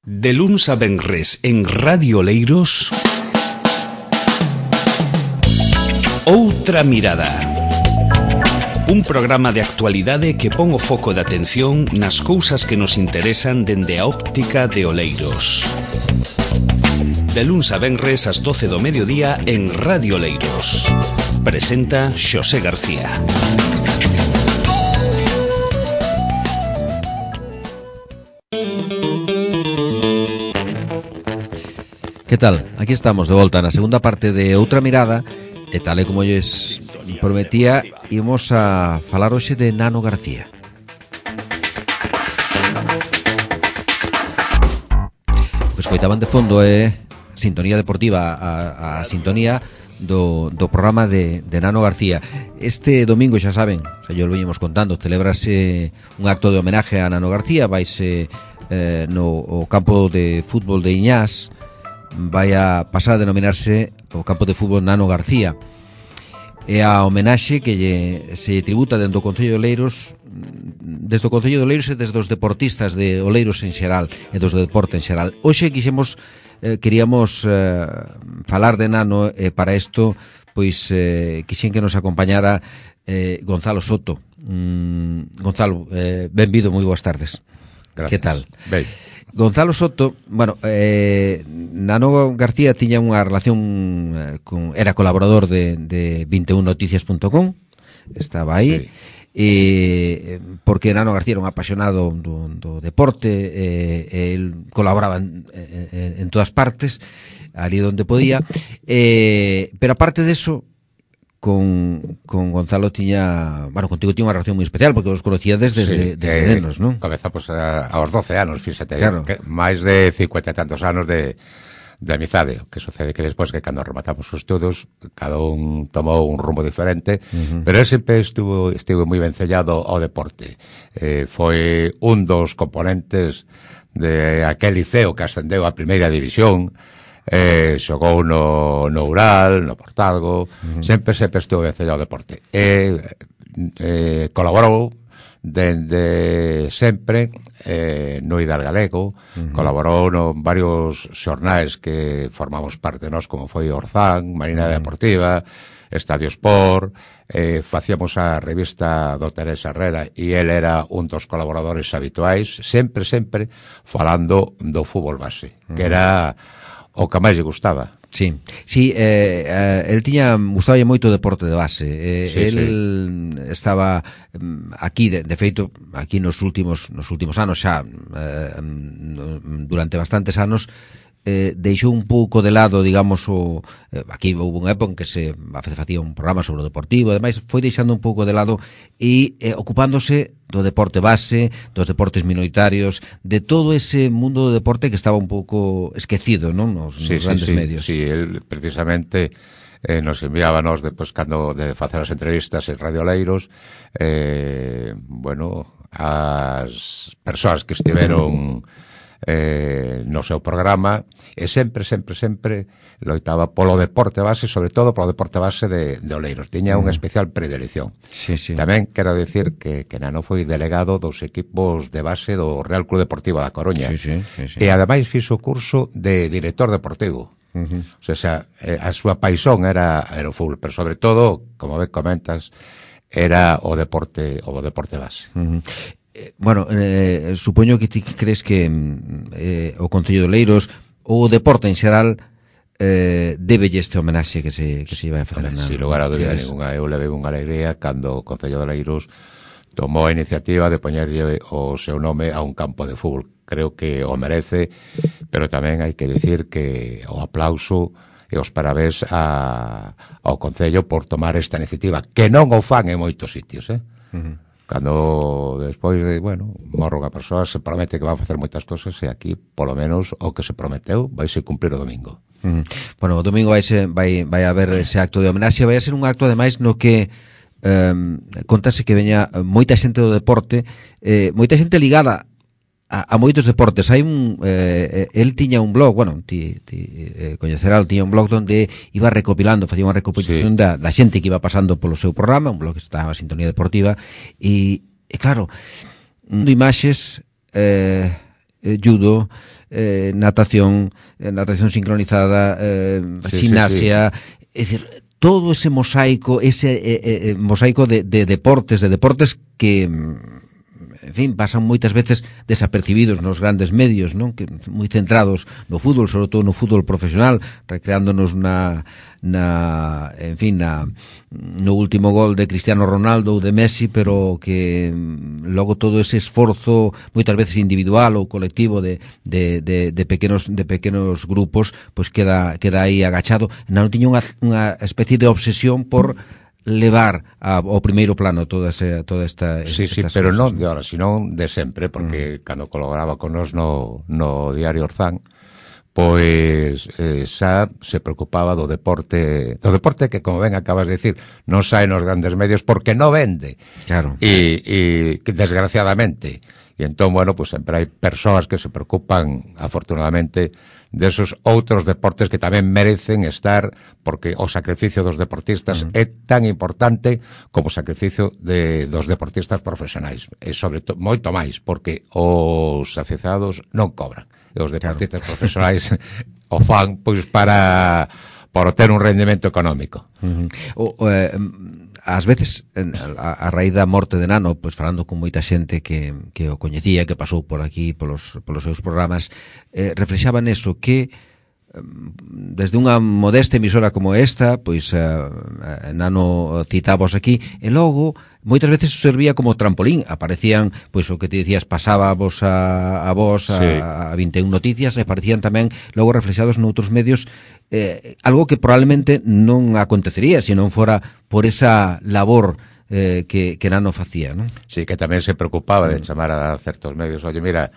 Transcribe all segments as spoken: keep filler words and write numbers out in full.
De luns a venres en Radio Oleiros, Outra Mirada. Un programa de actualidade que pon o foco de atención nas cousas que nos interesan dende a óptica de Oleiros. De luns a venres ás doce do mediodía en Radio Oleiros. Presenta Xosé García. Que tal? Aquí estamos de volta na segunda parte de Outra Mirada. E tal e como lles prometía, imos a falar hoxe de Nano García. Pois coitaban de fondo é sintonía deportiva, a, a sintonía do, do programa de, de Nano García. Este domingo, xa saben, xa yo lo veñemos contando, celebrase un acto de homenaje a Nano García. Vaise eh, no o campo de fútbol de Iñás, vai a pasar a denominarse o campo de fútbol Nano García. É a homenaxe que lle, se tributa dentro do Concello de Oleiros, desde o Concello de Oleiros e desde os deportistas de Oleiros en xeral e dos do deporte en xeral. Hoxe quixemos, eh, queríamos eh, falar de Nano, e eh, para isto pois eh, quixen que nos acompañara eh, Gonzalo Soto. mm, Gonzalo, eh, benvido, moi boas tardes. Gracias. Que tal? Ben. Gonzalo Soto, bueno, eh, Nano García tiña unha relación eh, con, era colaborador de, de vinte e un noticias punto com, estaba aí, sí. E porque Nano García era un apasionado do, do deporte, eh, el colaboraba en, en, en todas partes, ali onde podía, eh, pero aparte de eso, con, con Gonzalo tiña, bueno, contigo tiña unha relación moi especial porque os conocíades desde, sí, desde eh, nenos, non? Comezamos a, aos doce anos, fíxate, claro. Que máis de cincuenta e tantos anos de, de amizade. O que sucede que despois que cando rematamos os estudos, cada un tomou un rumbo diferente, uh-huh. Pero él sempre estuvo, estuvo moi vencellado ao deporte. Eh, foi un dos componentes de aquel liceo que ascendeu a primeira división. Eh, xogou no, no Ural, no Portalgo, uh-huh. sempre, sempre estuvo vencellado ao deporte. E eh, colaborou dende sempre eh, no Idar Galego, uh-huh. Colaborou no varios xornais que formamos parte nós, como foi Orzán, Marina uh-huh. Deportiva, Estadio Sport, eh, facíamos a revista do Teresa Herrera e el era un dos colaboradores habituais, sempre, sempre falando do fútbol base, uh-huh. que era o que máis lle gustaba. Sí, sí, eh, eh, el tiña, gustaba moito o deporte de base. Eh, sí, el sí. Estaba aquí, de, de feito, aquí nos últimos nos últimos anos xa, eh, durante bastantes anos, eh, deixou un pouco de lado, digamos, o eh, aquí houve unha época en que se facía un programa sobre o deportivo, ademais foi deixando un pouco de lado e eh, ocupándose do deporte base, dos deportes minoritarios, de todo ese mundo do deporte que estaba un pouco esquecido, non? Nos, sí, nos grandes sí, sí, medios. Sí, él precisamente eh, nos enviábanos despois cando de facer as entrevistas en Radio Oleiros, eh, bueno, as persoas que estiveron eh, no seu programa, e sempre, sempre, sempre loitaba polo deporte base, sobre todo polo deporte base de, de Oleiros. Tiña mm. unha especial predilección. Sí, sí. Tamén quero dicir que, que Nano foi delegado dos equipos de base do Real Club Deportivo da Coruña. Sí, sí, sí, sí. E ademais fixo o curso de director deportivo. Uh-huh. O sea, a súa paixón era, era o fútbol, pero sobre todo, como ben comentas, era o deporte o deporte base. Uh-huh. Bueno, eh, supoño que ti crees que eh, o Concello de Oleiros ou o deporte en xeral eh, débelle este homenaxe que se, que se vai a facer. Sin lugar a dúbida ninguna, eu levei unha alegría cando o Concello de Oleiros tomou a iniciativa de poñerlle o seu nome a un campo de fútbol. Creo que o merece, pero tamén hai que dicir que o aplauso e os parabéns a, ao Concello por tomar esta iniciativa, que non o fan en moitos sitios, eh? Uh-huh. Cando despois de, bueno, morro unha persoa se promete que va a facer moitas cosas e aquí, polo menos, o que se prometeu vai se cumplir o domingo. Uh-huh. Bueno, o domingo vai, se, vai, vai haber ese acto de homenaxe, vai a ser un acto ademais no que um, contase que veña moita xente do deporte, eh, moita xente ligada a, a moitos deportes. Hai un eh, el tiña un blog, bueno, ti, ti eh, coñecerá, tiña un blog donde iba recopilando, facía unha recopilación sí. da, da xente que iba pasando polo seu programa, un blog que estaba a Sintonía Deportiva, e, e claro, imaxes eh, eh, judo, eh, natación, eh, natación sincronizada, eh, sí, gimnasia, sí, sí. es decir, todo ese mosaico, ese eh, eh, mosaico de, de deportes, de deportes que, en fin, pasan moitas veces desapercibidos nos grandes medios, non? Que moi centrados no fútbol, sobre todo no fútbol profesional, recreándonos na, na en fin, na, no último gol de Cristiano Ronaldo ou de Messi, pero que logo todo ese esforzo moitas veces individual ou colectivo de, de, de, de pequenos de pequenos grupos, pois queda queda aí agachado. Non tiña unha, unha especie de obsesión por levar a, ao primeiro plano toda, ese, toda esta... Sí, sí, pero non de ahora, sino de sempre, porque mm. cando colaboraba con nos no, no Diario Orzán, pois eh, xa se preocupaba do deporte, do deporte que, como ben acabas de decir, non sae nos grandes medios porque non vende. Claro. E, e desgraciadamente. E entón, bueno, pues sempre hai persoas que se preocupan, afortunadamente, desos outros deportes que tamén merecen estar, porque o sacrificio dos deportistas uh-huh. é tan importante como o sacrificio de, dos deportistas profesionais. E sobre todo, moito máis, porque os aficionados non cobran. E os deportistas claro. profesionais o fan pois para, para ter un rendimento económico. Uh-huh. O, o, eh, ás veces, a, a raíz da morte de Nano, pois falando con moita xente que, que o coñecía, que pasou por aquí polos, polos seus programas, eh, reflexaban eso, que desde unha modesta emisora como esta, pois uh, Nano citábos aquí, e logo moitas veces servía como trampolín, aparecían, pois o que te dicías, pasábamos a, a vos a, sí. a vinte e un Noticias, e aparecían tamén logo reflexados noutros medios, eh, algo que probablemente non acontecería se non fora por esa labor eh, que, que Nano facía, non? Sí, que tamén se preocupaba de chamar a certos medios, oye, mira,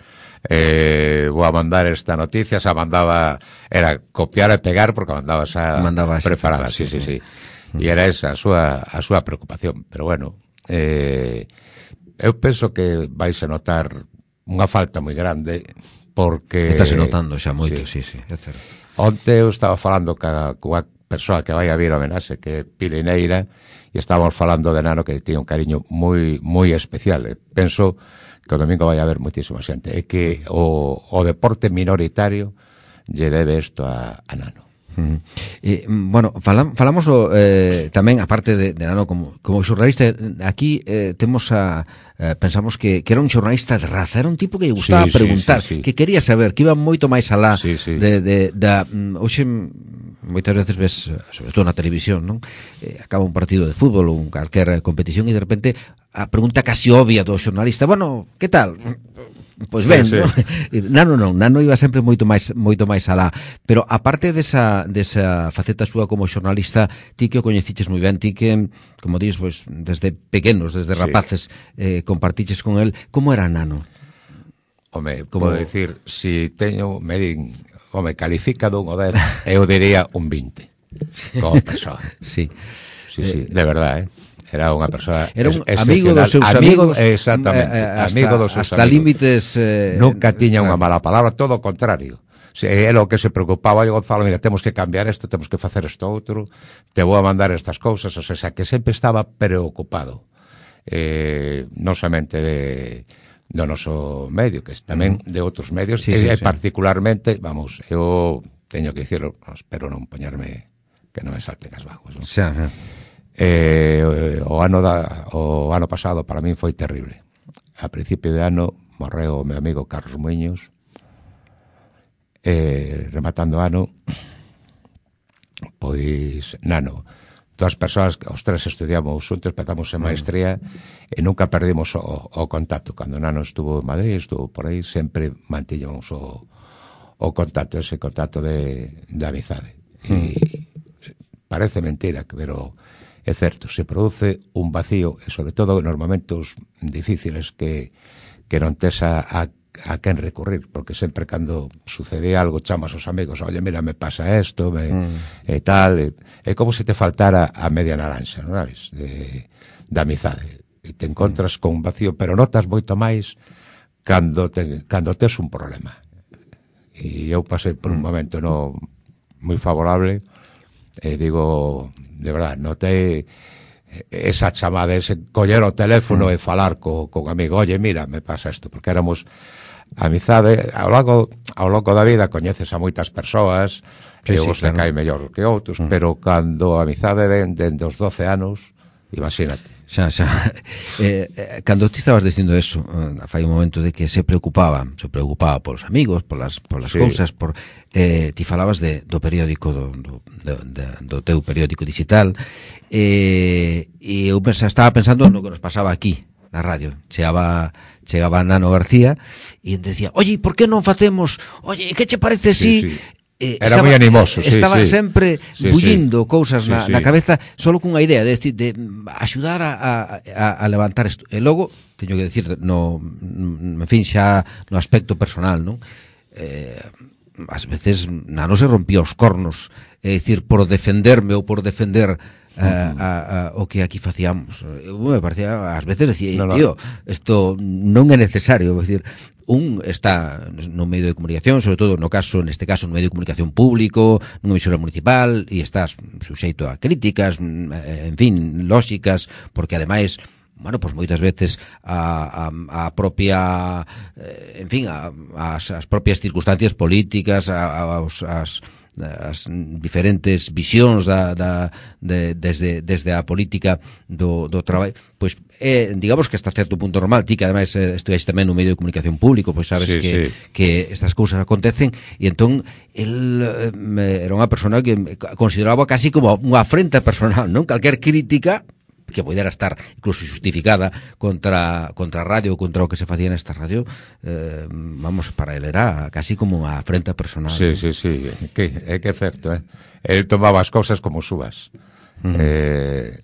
eh, vou a mandar esta noticia, xa mandaba, era copiar e pegar porque mandaba xa mandaba preparada, sí, sí, sí, sí. E era esa a súa, a súa preocupación, pero bueno, eh, eu penso que vais a notar unha falta moi grande porque... Estáse notando xa moito, sí, sí, sí, é certo. Onte eu estaba falando ca, coa persoa que vai a vir a homenaxe, que é Pilineira, e estábamos falando de Nano que tiña un cariño moi moi especial. Penso que o domingo vai haber moitísima xente, é que o, o deporte minoritario lle debe isto a, a Nano. Uh-huh. E, bueno, falam, falamos eh, tamén, aparte de, de Nano como, como xornalista, aquí eh, temos a eh, pensamos que, que era un xornalista de raza, era un tipo que lle gustaba sí, preguntar, sí, sí, sí. que quería saber, que iba moito máis alá sí, sí. de, de, da, hoxe moitas veces ves, sobre todo na televisión, non? Eh, acaba un partido de fútbol ou calquer competición e de repente a pregunta casi obvia do xornalista, bueno, que tal? Pois ben, sí, sí. ¿no? Nano non, Nano iba sempre moito máis moito máis alá, pero aparte desa desa faceta súa como xornalista, ti que o coñeciches moi ben, ti que, como dis, pois desde pequenos, desde rapaces, sí. eh, compartiches con el, como era Nano? Home, como decir, si teño, me din, home, califica dun o dez, eu diría un vinte, como persoa. Sí. Sí, sí, de verdade, eh. Era unha persoa era un amigo dos seus amigo, amigos, exactamente, eh, hasta, amigo dos seus hasta amigos. límites eh, nunca tiña unha mala palabra, todo o contrario. Se é o que se preocupaba, yo Gonzalo, mira, temos que cambiar isto, temos que facer isto outro, te vou a mandar estas cousas, o sea, que sempre estaba preocupado. Eh, non somente de do noso medio, que tamén de outros medios, sí, e sí, sí. particularmente, vamos, eu teño que dicirlo, espero non poñerme que non me salten as vaguas, non? Xa, xa. Eh, o ano da, o ano pasado para min foi terrible. A principio de ano morreu o meu amigo Carlos Muiños, eh, rematando ano, pois Nano, dúas persoas, os tres estudiamos xuntos, empezamos en maestría e nunca perdimos o, o contacto. Cando Nano estuvo en Madrid, estuvo por aí, sempre mantiñamos o, o contacto, ese contacto de, de amizade. E parece mentira, pero é certo, se produce un vacío, e sobre todo nos momentos difíciles que, que non tes a, a, a quen recurrir, porque sempre cando sucede algo chamas aos amigos, oye, mira, me pasa esto, me, mm. e tal, e, é como se te faltara a media naranxa, non sabes, de, de amizade, e te encontras con un vacío, pero notas moito máis cando, te, cando tes un problema. E eu pasei por un momento no moi favorable, e digo, de verdad, notei esa chamada, ese coller o teléfono mm. e falar co, con amigo, oye, mira, me pasa isto, porque éramos a amizade, ao longo, ao longo da vida coñeces a moitas persoas, que sí, os sí, claro. te cae mellor que outros, uh -huh. pero cando a amizade ven dende os doce anos, imagínate. Xa, xa. Eh, eh, cando ti estabas dicindo eso, eh, fai un momento de que se preocupaba, se preocupaba polos amigos, polas, polas sí. cousas, por, eh, ti falabas de, do periódico, do, do, do, do teu periódico digital, eh, e eu pensa, estaba pensando no que nos pasaba aquí, na radio. Chegaba, chegaba Nano García e decía, oye, por que non facemos, oye, que che parece si... Sí, sí. Eh, Era estaba, moi animoso, sí, estaba sí. sempre sí, bullindo sí. cousas sí, na, sí. na cabeza solo cunha idea de, de, de axudar a, a, a levantar isto. E logo, teño que decir, no, en fin, xa no aspecto personal, non? Eh, ás veces Nano se rompía os cornos, é dicir, por defenderme ou por defender a, a, a, o que aquí facíamos. Eu me parecía, ás veces decía, no, no. tío, isto non é necesario, é dicir, un está no medio de comunicación, sobre todo no caso, neste caso, no medio de comunicación público, nunha emisora municipal, e estás suxeito a críticas, en fin, lóxicas, porque ademais, bueno, pois moitas veces a, a, a propia, en fin, a, as, as propias circunstancias políticas, a, a, as as diferentes visións da, da, de, desde, desde a política do, do traballo, pois é, digamos que hasta certo punto normal. Ti que ademais estudaste tamén no medio de comunicación público, pois sabes sí, que, sí. que estas cousas acontecen, e entón el eh, era unha persona que consideraba casi como unha afrenta personal, non? Calquer crítica que pudera estar incluso justificada contra contra a radio, contra o que se facía nesta radio, eh, vamos, para ele era casi como unha afrenta personal. Sí, ¿no? sí, sí, que, é que é certo, eh? El tomaba as cousas como subas. Uh -huh. eh...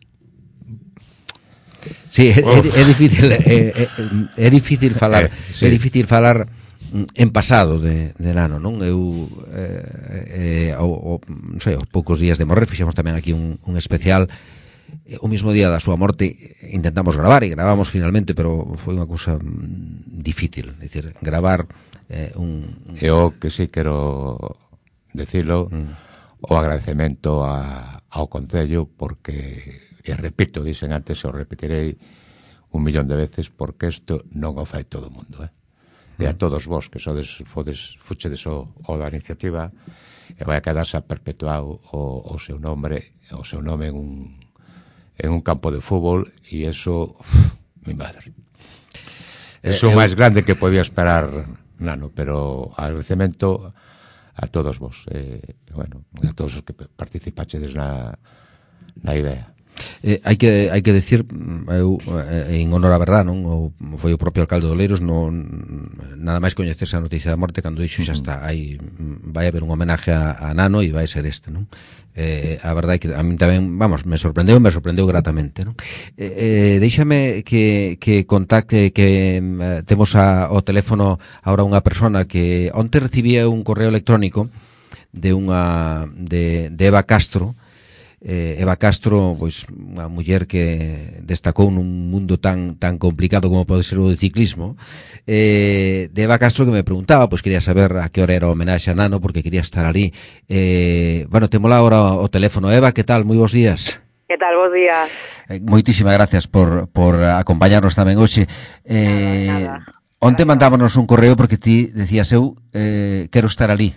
Sí, é, é, é difícil é, é, é difícil falar, eh, sí. é difícil falar en pasado de, de Nano, non? Eu eh, eh, o, o, non sei, aos poucos días de morrer fixemos tamén aquí un, un especial. O mismo día da súa morte intentamos gravar e gravamos finalmente, pero foi unha cousa difícil, é dicir, gravar eh, un... Eu que sí quero decirlo, mm. o agradecemento a, ao Concello, porque, e repito, dicen antes, e o repetirei un millón de veces, porque isto non o fai todo o mundo, eh? Mm. E a todos vos que sodes, fodes, fuchedes o, o da iniciativa, e vai a quedarse perpetuado o, o seu nome, o seu nome en un en un campo de fútbol, e eso, uf, mi madre, eso é o máis grande que podía esperar Nano, pero agradecemento a todos vos, eh, bueno, a todos os que participachedes na, na idea. Eh, hai que hai que decir, eu eh, en honor a verdad, non, o, foi o propio alcalde de Oleiros, non nada máis coñecerse a noticia da morte, cando dixo xa está, hai vai haber un homenaje a, a Nano e vai ser este, non? Eh, a verdade é que a mí tamén, vamos, me sorprendeu, me sorprendeu gratamente, non? Eh, eh, déixame que, que contacte, que eh, temos a, o teléfono ahora unha persona que onte recibía un correo electrónico de unha de, de Eva Castro. Eh, Eva Castro, pois unha muller que destacou nun mundo tan tan complicado como pode ser o de ciclismo, eh, de Eva Castro, que me preguntaba, pois quería saber a que hora era o homenaxe a Nano, porque quería estar ali. Eh, bueno, temos agora o teléfono. Eva, que tal? Moi bons días. Que tal? Bos días. Eh, moitísimas gracias por, por acompañarnos tamén hoxe. Eh, nada, nada. Onte mandámonos un correo porque ti decías eu eh, quero estar ali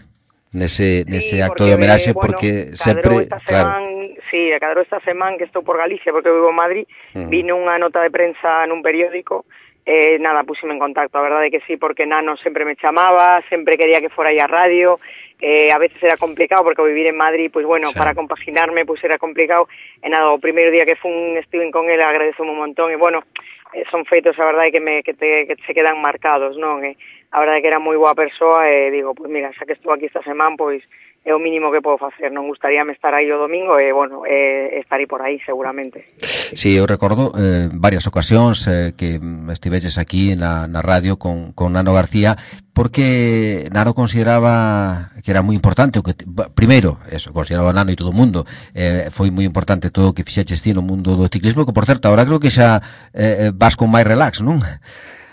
nese, nese sí, acto de homenaxe, bueno, porque sempre, claro. Semana, sí, cadro esta semana que estou por Galicia, porque vivo en Madrid, uh -huh. vino unha nota de prensa nun periódico, eh, nada, pusime en contacto, a verdade é que sí, porque Nano sempre me chamaba, sempre quería que fora aí a radio, eh, a veces era complicado, porque ao vivir en Madrid, pois pues, bueno, sí. para compaginarme, pois pues, era complicado, e nada, o primeiro día que fun estiven con ele, agradezo un montón, e bueno, eh, son feitos, a verdade, que, me, que, te, que se quedan marcados, non? Eh, a verdade é que era moi boa persoa, e digo, pois pues, mira, xa que estou aquí esta semana, pois é o mínimo que podo facer, non gustaríame estar aí o domingo e, bueno, eh, estarei por aí seguramente. Sí, eu recordo eh, varias ocasións eh, que estiveches aquí na, na radio con, con Nano García, porque Nano consideraba que era moi importante o que, primeiro, eso, consideraba Nano e todo o mundo, eh, foi moi importante todo o que fixeches ti no mundo do ciclismo, que por certo, agora creo que xa eh, vas con máis relax, non?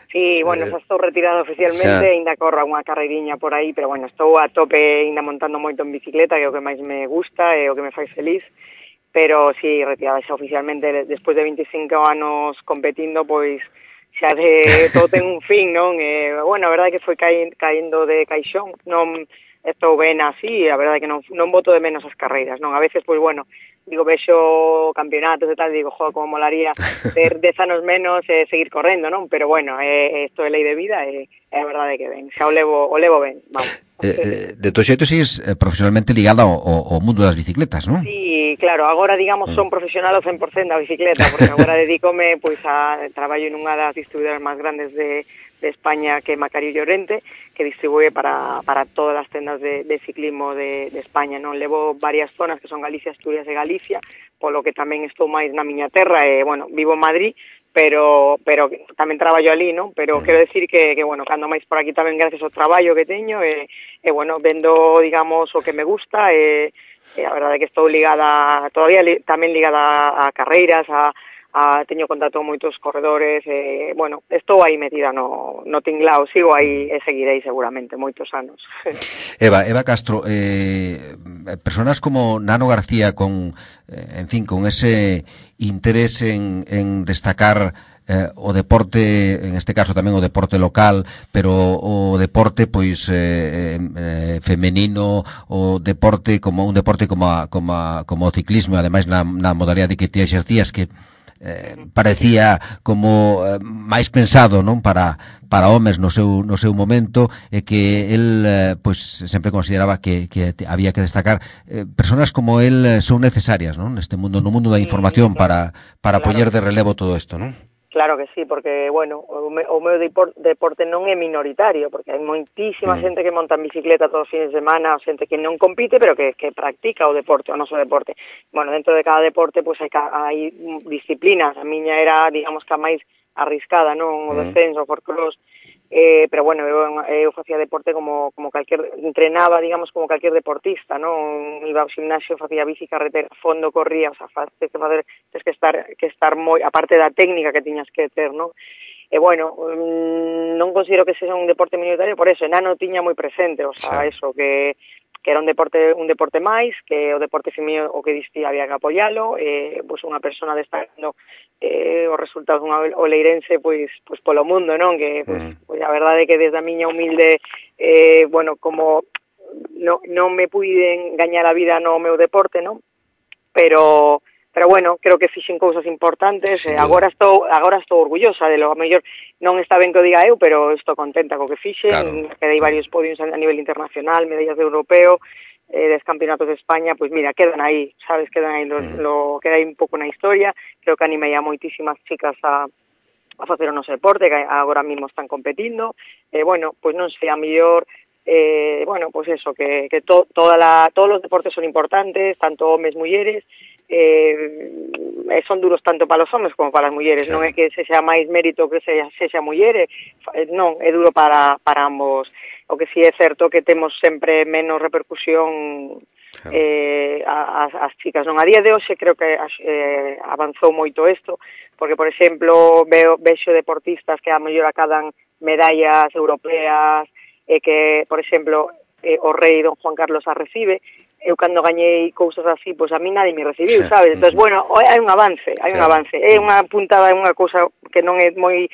Sí, bueno, xa estou retirado oficialmente, xa. Ainda corro unha carreiriña por aí, pero bueno, estou a tope ainda montando moito en bicicleta, que é o que máis me gusta e o que me fai feliz, pero sí, retirada xa oficialmente, despois de veinticinco anos competindo, pois xa de todo ten un fin, non? E, bueno, a verdade é que foi caendo de caixón, non estou ben así, a verdade é que non, non boto de menos as carreiras, non? A veces, pois, bueno, digo, vexo campeonatos e tal, digo, joder, como molaría ter dez anos menos e eh, seguir correndo, non? Pero, bueno, eh, isto é lei de vida e eh, é a verdade que ben, xa o levo, o levo ben, vamos. Eh, eh, de todo xeito, sigues eh, profesionalmente ligada ao, ao mundo das bicicletas, non? Sí, claro, agora, digamos, son profesional ao cen por cento da bicicleta, porque agora dedícome, pois, a traballo nunha das distribuidoras máis grandes de, de España, que é Macario Llorente, que distribúe para, para todas as tendas de, de ciclismo de, de España, non? Levo varias zonas que son Galicia, Asturias e Galicia, polo que tamén estou máis na miña terra, e, bueno, vivo en Madrid, pero pero tamén traballo ali, non? Pero quero decir que, que bueno, cando máis por aquí tamén gracias ao traballo que teño e, e bueno, vendo, digamos, o que me gusta e, e a verdade é que estou ligada, todavía li, tamén ligada a carreiras, a, a teño contacto con moitos corredores e, bueno, estou aí metida no, no tinglao, sigo aí e seguirei seguramente moitos anos. Eva, Eva Castro, eh, personas como Nano García con, eh, en fin, con ese interés en, en destacar eh, o deporte, en este caso tamén o deporte local, pero o deporte pois eh, eh, femenino, o deporte como un deporte como a, como a, como o ciclismo, ademais na, na modalidade que ti exercías, que eh, parecía como eh, máis pensado, non, para para homes no seu no seu momento, e que el eh, pois sempre consideraba que que había que destacar eh, personas como el son necesarias, non, neste mundo, no mundo da información, para para claro, poñer de relevo todo isto, non? Claro que sí, porque, bueno, o, me, o meu deporte non é minoritario, porque hai moitísima mm. xente que monta en bicicleta todos os fines de semana, xente que non compite, pero que, que practica o deporte, o noso deporte. Bueno, dentro de cada deporte, pois pues, hai, hai disciplinas. A miña era, digamos, que a máis arriscada, non? O descenso, o forcross. Eh, pero bueno, eu, eu facía deporte como como calquer, entrenaba, digamos, como calquer deportista, non? Iba ao gimnasio, facía bici, carretera, fondo, corría, o sea, tens que facer, tens que estar que estar moi, aparte da técnica que tiñas que ter, non? E bueno, non considero que sexa un deporte minoritario, por eso, Nano tiña moi presente, o sea, sí. Eso, que que era un deporte un deporte máis, que o deporte feminino o que distí había que apoialo, eh, pois unha persona destacando eh, os resultados dunha oleirense pois pois polo mundo, non? Que pois, mm. pois a verdade é que desde a miña humilde eh, bueno, como no, non me puiden gañar a vida no meu deporte, non? Pero pero bueno, creo que fixen cousas importantes, sí, e agora estou agora estou orgullosa de lo, a mellor non está ben que o diga eu, pero estou contenta co que fixen, claro. Quedei varios podios a nivel internacional, medallas de europeo, eh, des campeonatos de España, pois pues mira, quedan aí, sabes, quedan aí, lo, mm. lo, queda aí un pouco na historia, creo que animei a moitísimas chicas a a facer o noso deporte, que agora mesmo están competindo, e eh, bueno, pois pues non sei, a mellor eh, bueno, pois pues eso, que, que to, toda la, todos os deportes son importantes, tanto homes, mulleres, eh, son duros tanto para os homes como para as mulleres, claro. Non é que se xa máis mérito que se xa muller, non, é duro para, para ambos. O que si sí é certo que temos sempre menos repercusión claro. eh, as, as chicas, non? A día de hoxe creo que eh, avanzou moito isto, porque, por exemplo, veo, vexo deportistas que a mellor acadan medallas europeas, e que, por exemplo, eh, o rei don Juan Carlos a recibe, eu cando gañei cousas así, pois a mí nadie me recibiu, sabes? Entón, bueno, hai un avance, hai un avance. É unha puntada, é unha cousa que non é moi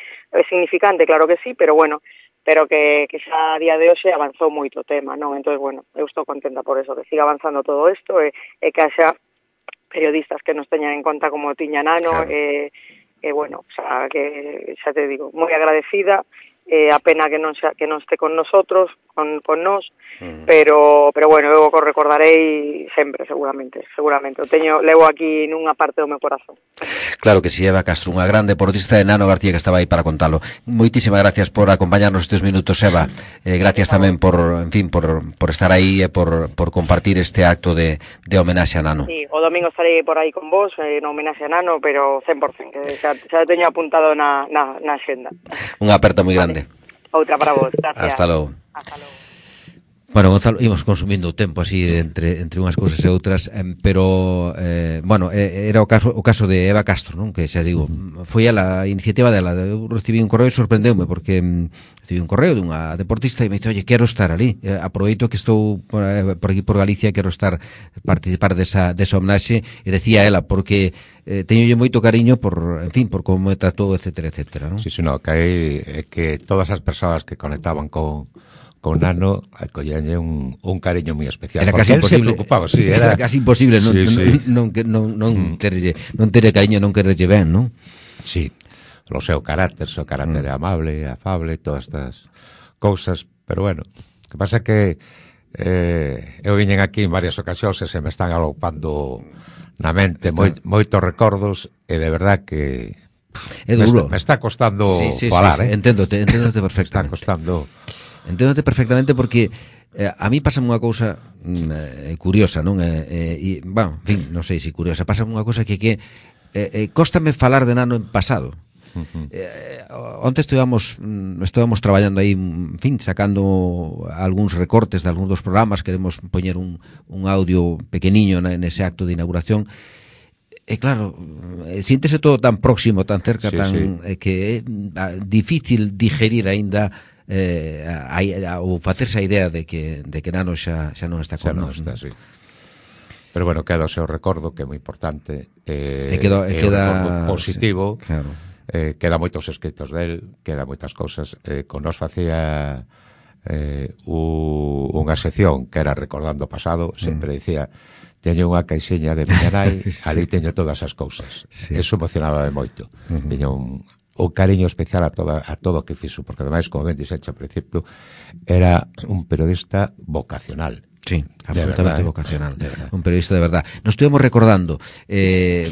significante, claro que sí, pero bueno, pero que, que xa a día de hoxe avanzou moito o tema, non? Entón, bueno, eu estou contenta por eso, que siga avanzando todo isto, e, e que haxa periodistas que nos teñan en conta como tiña Nano, e, e bueno, xa que, xa te digo, moi agradecida, eh, a pena que non xa, que non este con nosotros, con, con nós, mm. pero pero bueno, eu o recordarei sempre, seguramente, seguramente. O teño, levo aquí nunha parte do meu corazón. Claro que si, sí, Eva Castro, unha gran deportista de Nano García que estaba aí para contalo. Moitísimas gracias por acompañarnos estes minutos, Eva. Eh, gracias tamén por, en fin, por, por estar aí e por, por compartir este acto de, de homenaxe a Nano. Sí, o domingo estarei por aí con vos, eh, no homenaxe a Nano, pero cen por cento, que xa, xa teño apuntado na, na, na xenda. Unha aperta moi grande. Outra para vos, gracias. Hasta logo. Hasta logo. Bueno, Gonzalo, íbamos consumindo o tempo así entre entre unhas cousas e outras, eh, pero eh, bueno, eh, era o caso o caso de Eva Castro, non? Que xa digo, foi a la iniciativa dela, eu recibí un correo e sorprendeume porque mm, recibí un correo dunha deportista e me dixo, "Oye, quero estar ali, eh, aproveito que estou por, eh, por aquí por Galicia, quero estar participar desa desa homenaxe", e decía ela porque eh, teñolle moito cariño por, en fin, por como me tratou, etcétera, etcétera, non? Sí, sí, no, que hai eh, que todas as persoas que conectaban con con Nano acollenlle un, un cariño moi especial. Era casi imposible, se preocupaba, sí, era, era casi imposible non, sí, sí. non, non, non, non mm. terlle, non terlle cariño, non quererlle ben, non? Sí, o seu carácter, o seu carácter mm. amable, afable, todas estas cousas, pero bueno, que pasa que eh, eu viñen aquí en varias ocasións e se me están alopando na mente Está... moi, moitos recordos e de verdad que é duro. Me está, me está costando sí, sí, falar, sí, sí. eh? Enténdote, enténdote perfectamente. Está costando... Enténdote perfectamente porque eh, a mí pasa unha cousa mm, eh, curiosa, non? Eh, eh, e, bueno, en fin, non sei se curiosa, pasa unha cousa que que eh, eh, cóstame falar de Nano en pasado. Uh-huh. Eh, onte estivamos estivamos traballando aí, en fin, sacando algúns recortes de algúns dos programas, queremos poñer un, un audio pequeniño nese acto de inauguración. E claro, síntese todo tan próximo, tan cerca, sí, tan sí. Eh, que é difícil digerir aínda eh, a, a, ou facerse a idea de que, de que Nano xa, xa non está con nós. Sí. Pero bueno, queda o seu recordo, que é moi importante, eh, e queda, é queda, un recordo positivo, sí, claro. eh, queda moitos escritos del, queda moitas cousas, eh, con nos facía eh, u, unha sección que era recordando o pasado, sempre mm. dicía, teño unha caixiña de miña nai, sí. ali teño todas as cousas, sí. Eso emocionaba moito, uh-huh. Teño un o cariño especial a toda a todo o que fixo, porque ademais, como ben dixeche ao principio, era un periodista vocacional. Sí, absolutamente verdad, vocacional, eh? Un periodista de verdad. Nos estuvemos recordando, eh,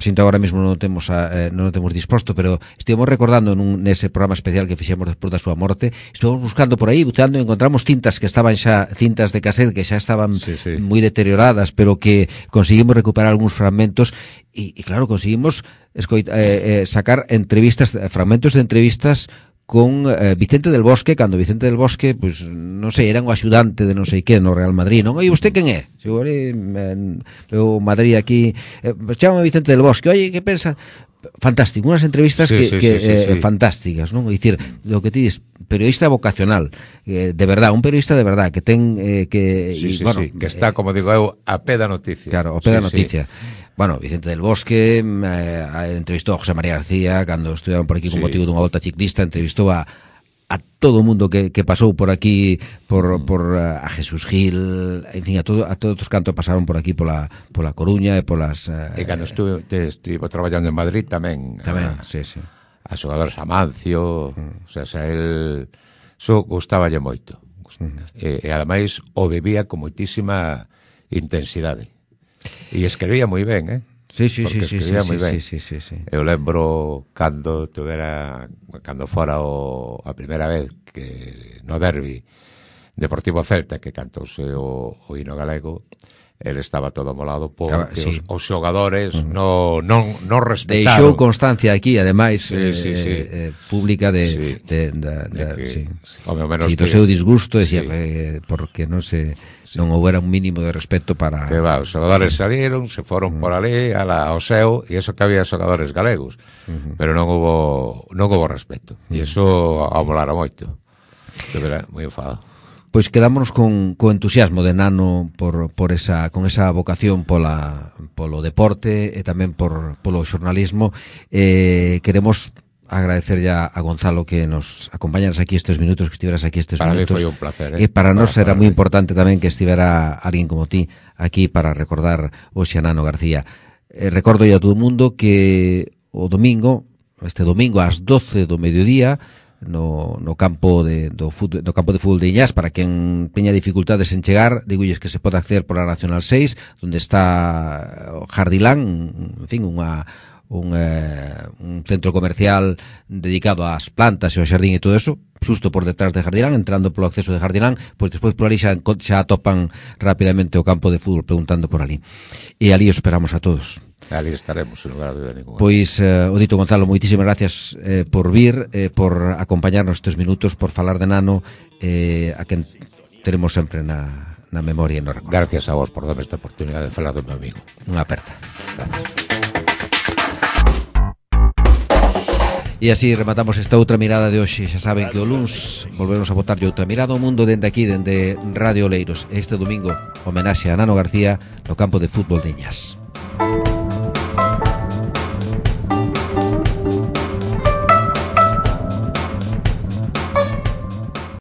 sinto agora mesmo non o temos a, eh, non o temos disposto, pero estivemos recordando nun, nese programa especial que fixemos despois da súa morte, estivemos buscando por aí, buceando, e encontramos cintas que estaban xa, cintas de cassette que xa estaban sí, sí. moi deterioradas, pero que conseguimos recuperar algúns fragmentos, e, e claro, conseguimos escoita, eh, eh, sacar entrevistas, fragmentos de entrevistas con eh, Vicente del Bosque, cando Vicente del Bosque, pues, non sei, era un axudante de non sei que no Real Madrid, non? Oi, usted quen é? Se ore, o Madrid aquí, eh, chama Vicente del Bosque, oi, que pensa? Fantástico, unhas entrevistas sí, que, sí, que sí, eh, sí, sí. fantásticas, non? É dicir, lo que ti dis, periodista vocacional, eh, de verdad, un periodista de verdad, que ten eh, que... Sí, y, sí, bueno, sí, que está, como digo eu, a pé da noticia. Claro, a pé da sí, noticia. Sí. Bueno, Vicente del Bosque eh, entrevistou a José María García cando estuveron por aquí con sí. motivo dunha volta ciclista, entrevistou a a todo o mundo que, que pasou por aquí, por, mm. por uh, a Jesús Gil, en fin, a todo a todos os cantos pasaron por aquí pola pola Coruña e polas uh, e cando estuve te, estivo traballando en Madrid tamén, tamén, a, sí, sí. a xogadores Amancio, mm. o sea, xa el so gustaballe moito. Mm. E, e ademais o vivía con moitísima intensidade. E escribía moi ben, eh? Sí, sí, porque sí, sí, sí, moi ben. sí, sí, sí. Eu lembro cando tuvera, cando fora o, a primeira vez que no derbi Deportivo Celta, que cantouse o, o hino galego, ele estaba todo molado porque sí. os, os xogadores mm. no, non, non respetaron. Deixou constancia aquí, ademais, sí, sí, sí. Eh, eh, pública de, sí. de, de, de, de que, sí. o menos sí, do que, seu disgusto, decía, sí. eh, porque non se sí. non houbera un mínimo de respeto para... Que va, os xogadores salieron, se foron mm. por ali, a la, ao seu, e eso que había xogadores galegos, mm-hmm. pero non hubo non hubo respeto, e mm. iso amolara moito. De verdade, moi enfadado. Pois quedámonos con co entusiasmo de Nano por por esa con esa vocación pola polo deporte e tamén por polo xornalismo. Eh, queremos agradecer ya a Gonzalo que nos acompañaras aquí estes minutos, que estiveras aquí estes para minutos. Para mí foi un placer, eh? E para, para nós era moi mí. importante tamén que estivera alguén como ti aquí para recordar o Nano García. Eh, recordo a todo o mundo que o domingo, este domingo ás doce do mediodía, no, no campo de do, fútbol, do campo de fútbol de Iñás, para quen teña dificultades en chegar, digolles que se pode acceder por a Nacional seis, onde está o Jardilán, en fin, unha un, eh, un centro comercial dedicado ás plantas e ao xardín e todo eso, xusto por detrás de Jardilán, entrando polo acceso de Jardilán, pois despois por ali xa, xa atopan rapidamente o campo de fútbol, preguntando por ali. E ali os esperamos a todos. Ali estaremos, sin lugar a dúda ninguna. Pois, eh, o dito Gonzalo, moitísimas gracias eh, por vir, eh, por acompañarnos estes minutos, por falar de Nano, eh, a quen teremos sempre na, na memoria e no recordo. Gracias a vos por darme esta oportunidade de falar do meu amigo. Unha aperta. Gracias. E así rematamos esta outra mirada de hoxe. Xa saben que o luns volvemos a botarlle outra mirada ao mundo dende aquí, dende Radio Oleiros. Este domingo, homenaxe a Nano García no campo de fútbol de Iñas.